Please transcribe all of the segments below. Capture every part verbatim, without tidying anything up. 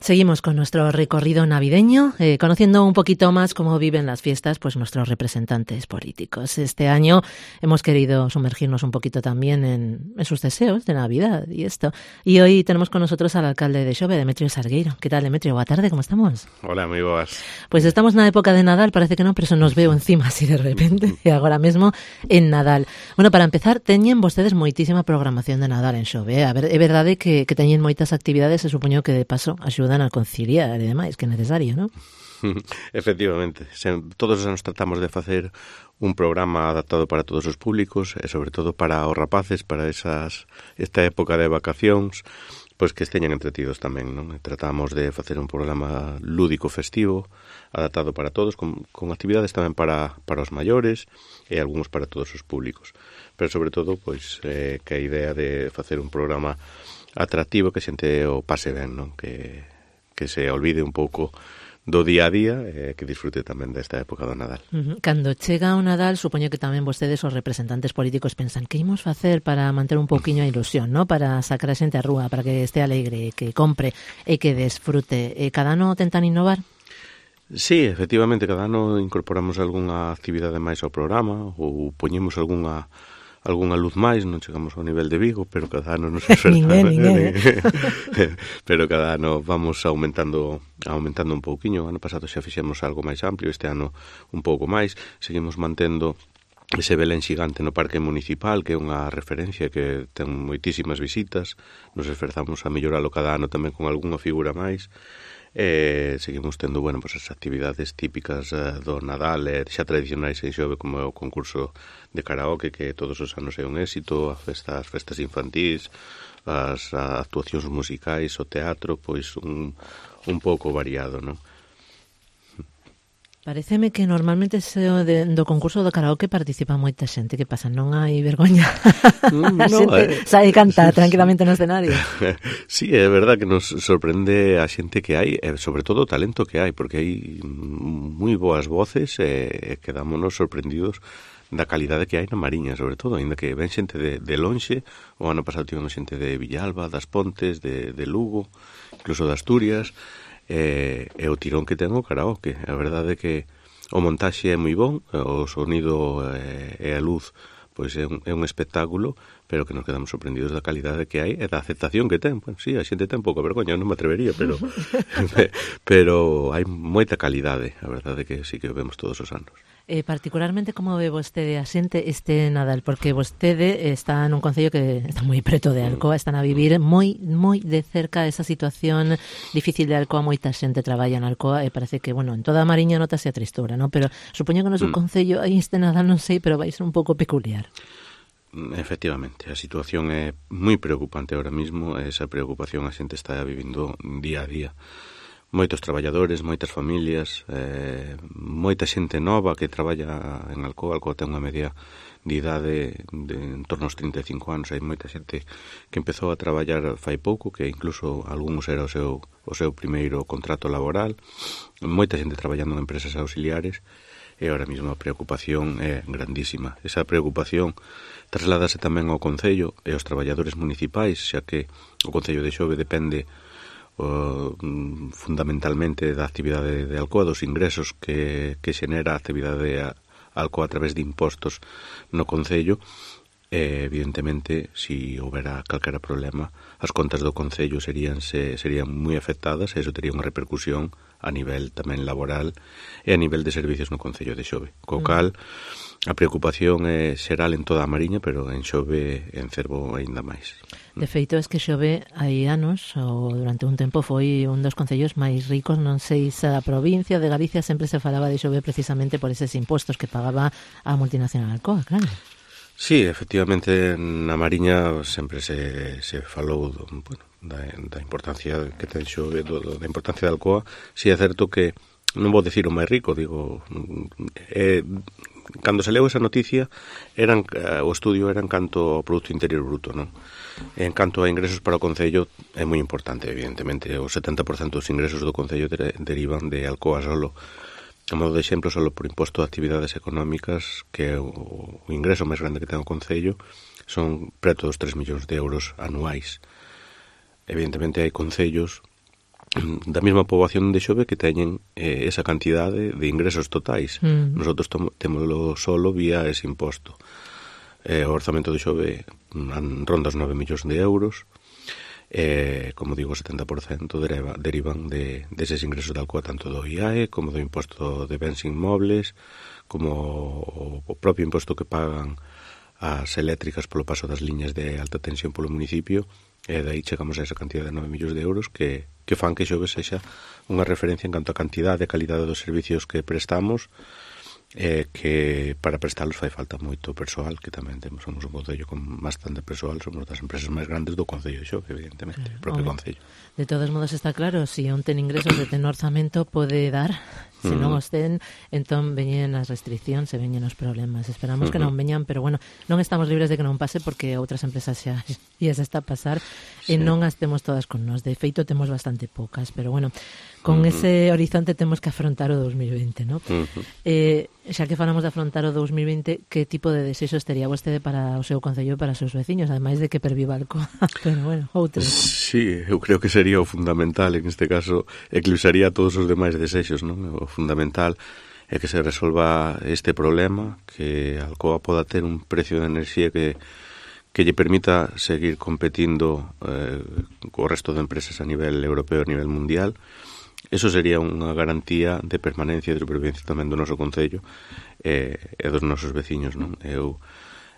Seguimos con nuestro recorrido navideño, eh, conociendo un poquito más cómo viven las fiestas pues nuestros representantes políticos. Este año hemos querido sumergirnos un poquito también en, en sus deseos de Navidad y esto. Y hoy tenemos con nosotros al alcalde de Xove, Demetrio Salgueiro. ¿Qué tal, Demetrio? Boa tarde, ¿cómo estamos? Hola, moi boas. Pues estamos na época de Nadal, parece que non, pero eso nos veo encima así de repente, e agora mesmo en Nadal. Bueno, para empezar, teñen vostedes moitísima programación de Nadal en Xove. A ver, é verdade que, que teñen moitas actividades e supoño que de paso axudan a conciliar e demais, que é necesario, non? Efectivamente, todos os anos tratamos de facer un programa adaptado para todos os públicos e sobre todo para os rapaces, para esas esta época de vacacións, pois que esteñan entretidos tamén, non? Tratamos de facer un programa lúdico festivo, adaptado para todos, con, con actividades tamén para, para os maiores e algúns para todos os públicos. Pero sobre todo, pois, eh, que a idea de facer un programa atractivo que a xente o pase ben, non? Que que se olvide un pouco do día a día e eh, que disfrute tamén desta época do Nadal. Uh-huh. Cando chega o Nadal, supoño que tamén vostedes, os representantes políticos, pensan que imos facer para manter un pouquiño a ilusión, ¿no? Para sacar a xente á rúa, para que este alegre, que compre e que desfrute. E cada ano tentan innovar? Sí, efectivamente, cada ano incorporamos algunha actividade máis ao programa ou poñemos algunha algunha luz máis, non chegamos ao nivel de Vigo, pero cada ano nos esforzamos. ninguén, ninguén. Pero cada ano vamos aumentando aumentando un pouquiño. O ano pasado xa fixemos algo máis amplio, este ano un pouco máis. Seguimos mantendo ese Belén xigante no Parque Municipal, que é unha referencia que ten moitísimas visitas. Nos esforzamos a melloralo cada ano tamén con algunha figura máis. E seguimos tendo, bueno, pues as actividades típicas uh, do Nadal e xa tradicionais en Xove, como é o concurso de karaoke, que todos os anos é un éxito, a festa, as festas infantís, as a, actuacións musicais, o teatro, pois un, un pouco variado, non? Pareceme que normalmente se de, do concurso do karaoke participa moita xente. Que pasa? Non hai vergoña? Mm, a no, xente eh. sabe cantar tranquilamente no escenario. Sí, é verdad que nos sorprende a xente que hai, e sobre todo o talento que hai, porque hai moi boas voces e quedámonos sorprendidos da calidade que hai na Mariña, sobre todo, ainda que ven xente de, de lonxe. O ano pasado tivemos xente de Villalba, das Pontes, de, de Lugo, incluso de Asturias. E, e o tirón que ten o karaoke. A verdade é que o montaxe é moi bon, o sonido e, e a luz pois é un, é un espectáculo, pero que nos quedamos sorprendidos da calidade que hai e da aceptación que ten. Bueno, sí, a xente ten pouca vergoña, non me atrevería, pero pero hai moita calidade. A verdade é que sí que o vemos todos os anos. Eh, particularmente, como ve vostede a xente este Nadal? Porque vostede está nun concello que está moi preto de Alcoa, están a vivir moi moi de cerca esa situación difícil de Alcoa. Moita xente traballa en Alcoa e parece que, bueno, en toda a Mariña notase a tristura, ¿no? Pero supoño que no seu mm. concello aí este Nadal, non sei, pero vai ser un pouco peculiar. Efectivamente, a situación é moi preocupante ahora mismo, esa preocupación a xente está vivindo día a día. Moitos traballadores, moitas familias, eh, moita xente nova que traballa en Alcoa. Alcoa ten unha media de idade de en torno aos trinta e cinco anos. Hai moita xente que empezou a traballar fai pouco, que incluso algúns era o seu, o seu primeiro contrato laboral. Moita xente traballando en empresas auxiliares e ahora mesmo a preocupación é grandísima. Esa preocupación trasládase tamén ao Concello e aos traballadores municipais, xa que o Concello de Xove depende o, fundamentalmente da actividade de Alcoa, dos ingresos que, que xenera a actividade de Alcoa a través de impostos no Concello. E, evidentemente, se si houbera calquera problema, as contas do Concello serían, se, serían moi afectadas e iso tería unha repercusión a nivel tamén laboral e a nivel de servicios no Concello de Xove. Co cal, a preocupación é xeral en toda a Mariña, pero en Xove en Cervo aínda máis. De feito, es que Xove hai anos, ou durante un tempo, foi un dos concellos máis ricos, non sei se da provincia de Galicia. Sempre se falaba de Xove precisamente por eses impostos que pagaba a multinacional Alcoa, claro. Sí, efectivamente, na Mariña sempre se, se falou do, bueno, da, da importancia que ten Xove, do, da importancia de Alcoa. Si é certo que, non vou dicir o máis rico, digo, eh, cando se leu esa noticia, eran, o estudio era en canto ao Producto Interior Bruto, non? En canto a ingresos para o Concello, é moi importante, evidentemente. O setenta por cento dos ingresos do Concello de, derivan de Alcoa solo. A modo de exemplo, só por imposto de actividades económicas, que é o, o ingreso máis grande que ten o Concello, son preto dos tres millóns de euros anuais. Evidentemente hai concellos da mesma poboación de Xove que teñen eh, esa cantidade de ingresos totais. Mm. Nosotros temoslo solo vía ese imposto. Eh, o orzamento de Xove ronda os nove millóns de euros. Eh, como digo, o setenta por cento deriva, derivan de, deses ingresos de Alcoa, tanto do I A E como do imposto de bens inmobles, como o propio imposto que pagan as eléctricas polo paso das liñas de alta tensión polo municipio. E dai chegamos a esa cantidad de nove millóns de euros que, que fan que Xove sexa unha referencia en canto a cantidade e calidade dos servicios que prestamos, eh, que para prestalos fai falta moito persoal, que tamén temos, somos un concello con bastante persoal, somos das empresas máis grandes do concello de Xove, evidentemente, o propio concello. De todos modos está claro, se si un ten ingresos e ten orzamento pode dar, se non os ten, entón veñen as restriccións e veñen os problemas. Esperamos que non veñan, pero bueno, non estamos libres de que non pase porque outras empresas xa e se está a pasar e non as temos todas con nós. De feito, temos bastante poucas, pero bueno, con uh-huh. ese horizonte temos que afrontar o dos mil vinte, ¿no? Uh-huh. Eh, xa que falamos de afrontar o dos mil vinte, que tipo de desexos tería vostede para o seu concello e para os seus veciños, ademais de que perviva Alcoa? Pero bueno, outros. Sí, eu creo que sería o fundamental, en este caso, eclipsaría todos os demais desexos, non? O fundamental é que se resolva este problema, que Alcoa poda ter un precio de enerxía que que lle permita seguir competindo eh, co resto de empresas a nivel europeo e a nivel mundial. Eso sería unha garantía de permanencia e de supervivencia tamén do noso concello eh, e dos nosos veciños, non? Eu,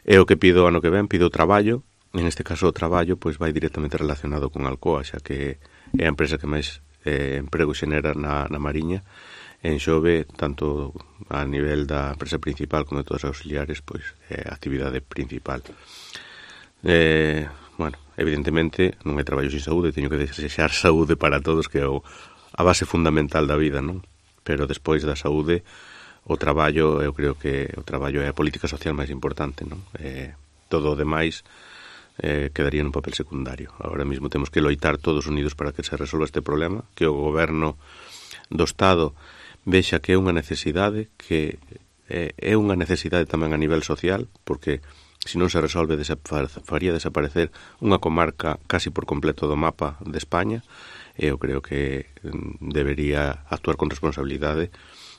é o que pido ano que ven, pido traballo. En este caso o traballo pois vai directamente relacionado con Alcoa, xa que é a empresa que máis eh, emprego xenera na, na Mariña. En Xove, tanto a nivel da empresa principal como de todas as auxiliares, pois é a actividade principal. Eh, bueno, evidentemente non hai traballo sin saúde, teño que desexar saúde para todos, que é o, a base fundamental da vida, non? Pero despois da saúde, o traballo, eu creo que o traballo é a política social máis importante, non? Eh, todo o demais eh, quedaría nun papel secundario. Agora mesmo temos que loitar todos unidos para que se resolva este problema, que o goberno do Estado vexa que é unha necesidade, que eh, é unha necesidade tamén a nivel social, porque se non se resolve faría desaparecer unha comarca casi por completo do mapa de España. Eu creo que debería actuar con responsabilidade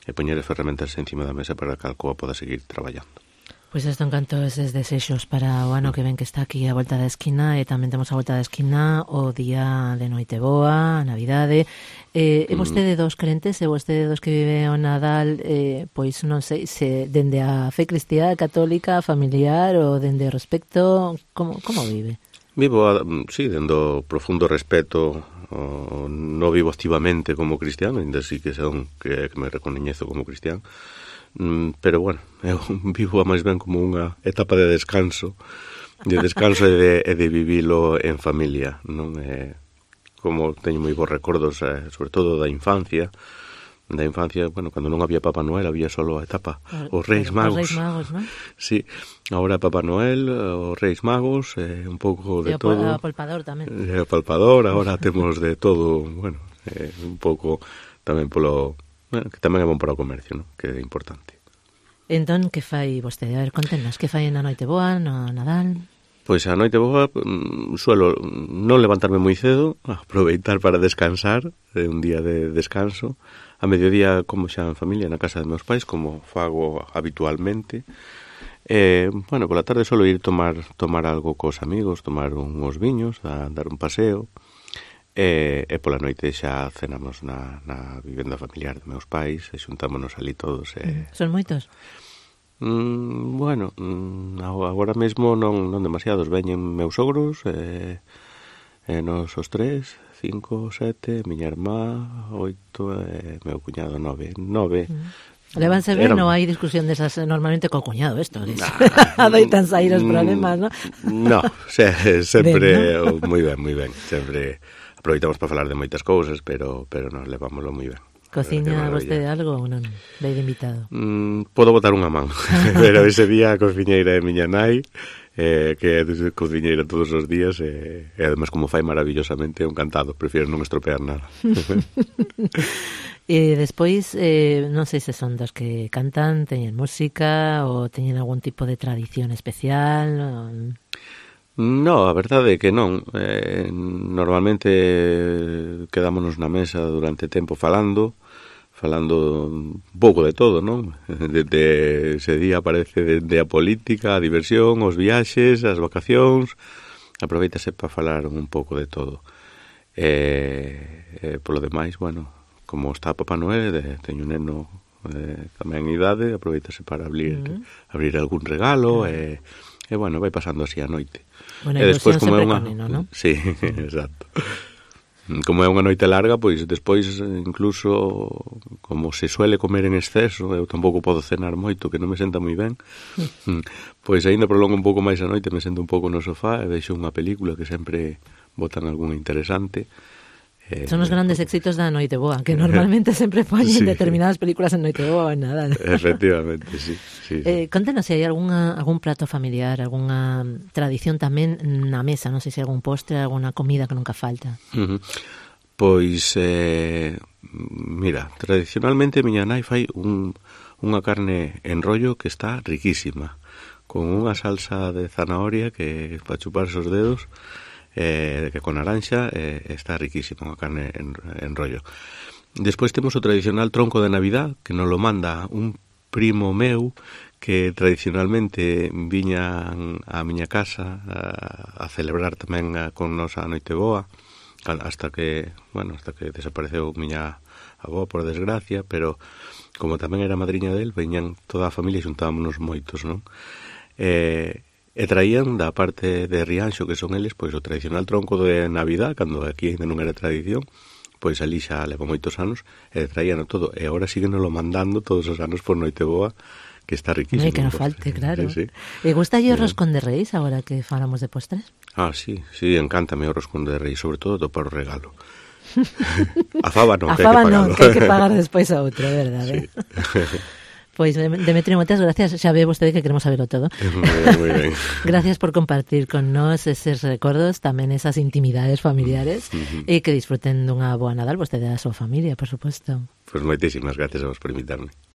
e poñer as ferramentas encima da mesa para que Alcoa poda seguir traballando. Pois pues isto encanto eses desexos para o ano que ven, que está aquí a volta da esquina, e tamén temos a volta da esquina o día de Noiteboa, a Navidade. Eh, é vostede dos crentes, é vostede dos que vive o Nadal, eh, pois non sei, se dende a fe cristiá, católica, familiar ou dende o respecto, como, como vive? Vivo, sí, dende o profundo respeto, o, non vivo activamente como cristiano, ainda sí que son que, que me recoñezo como cristiano, mm, pero bueno, eu vivo a máis ben como unha etapa de descanso, de descanso e de, e de vivilo en familia, non é... Como teño moi bons recordos, eh, sobre todo da infancia, da infancia, bueno, cando non había Papá Noel, había solo a etapa, os Reis Magos. Os Reis Magos, non? Sí, agora Papá Noel, os Reis Magos, eh, un pouco de e todo. E o palpador tamén. E o palpador, agora temos de todo, bueno, eh, un pouco tamén polo, bueno, que tamén é bon para o comercio, non? Que é importante. Entón, que fai vostede? A ver, contenos, que fai na Noiteboa, no Nadal? Pois a noite boa suelo non levantarme moi cedo, aproveitar para descansar, é un día de descanso. A mediodía como xa en familia na casa de meus pais, como fago habitualmente. E, bueno, pola tarde suelo ir tomar tomar algo cos amigos, tomar uns viños, a dar un paseo. E, e pola noite xa cenamos na, na vivenda familiar de meus pais e xuntámonos ali todos. E... Son moitos? Mm, bueno, mm, agora mesmo non, non demasiados. Veñen meus sogros e, e nos os tres, cinco, sete, miña irmá, oito e meu cuñado, nove. Nove. Mm. Levanse ben, non hai discusión desas normalmente co cuñado, esto. Adoitan sair os problemas, non? No, se, sempre ben, ¿no? Moi ben, moi ben. Sempre aproveitamos para falar de moitas cousas, pero pero nos levámoslo moi ben. Cociña vostede algo ou non? Vai de invitado? Mm, podo botar unha man, pero ese día a cociñeira é miña nai, eh, que é cociñeira todos os días, e, e además como fai maravillosamente, é un cantado, prefiero non estropear nada. E despois, eh, non sei se son dos que cantan, teñen música ou teñen algún tipo de tradición especial. O... No, a verdade é que non. Eh, normalmente quedámonos na mesa durante tempo falando, falando un pouco de todo, non? Desde ese día aparece desde a política, a diversión, os viaxes, as vacacións, aproveitase para falar un pouco de todo. E, eh, polo demais, bueno, como está Papá Noel, eh, teño un neno eh, tamén en idade, aproveitase para abrir, mm. abrir algún regalo, e, e, bueno, vai pasando así a noite. Bueno, e despois, como é unha... neno, non? Sí, exacto. Como é unha noite larga, pois despois incluso como se suele comer en exceso, eu tampouco podo cenar moito, que non me senta moi ben, pois aínda prolongo un pouco máis a noite, me sento un pouco no sofá e vexo unha película que sempre botan algunha interesante. Eh, Son os grandes éxitos da Noite Boa, que normalmente sempre poñen sí. determinadas películas en Noite Boa ou nada. Efectivamente, sí. sí, sí. Eh, contanos se hai algunha, algún prato familiar, algunha tradición tamén na mesa, non sei se algún postre, alguna comida que nunca falta. Uh-huh. Pois, eh, mira, tradicionalmente miña nai fai un, unha carne en rollo que está riquísima, con unha salsa de zanahoria que para chuparse os dedos, eh, que con naranxa eh, está riquísima a carne en, en rollo. Despois temos o tradicional tronco de Navidad, que nos lo manda un primo meu que tradicionalmente viña a miña casa a, a celebrar tamén a, con nos a Noite Boa, hasta que, bueno, hasta que desapareceu miña avó, por desgracia, pero como tamén era madriña del, veñan toda a familia e xuntámonos moitos, non? Eh, e traían da parte de Rianxo, que son eles, pois o tradicional tronco de Navidad, cando aquí ainda non era tradición, pois ali xa leva moitos anos, e traían todo, e agora síguenos lo mandando todos os anos por Noite Boa, que está riquísimo. Non hai que non falte, claro. Sí, sí. E gusta lle o roscón de Reis, agora que falamos de postres? Ah, sí, sí, encántame o roscón de Reis, sobre todo para o regalo. A fava non, a que hai que pagar. non, que hai que pagar despois a outro, verdade? Sí. Pois, Demetrio, moitas gracias. Xa ve vostede que queremos saberlo todo. Moi ben, moi ben. Gracias por compartir con nós eses recordos, tamén esas intimidades familiares, uh-huh. e que disfruten dunha boa Nadal vostede e a súa familia, por suposto. Pois moitísimas gracias a vos por invitarme.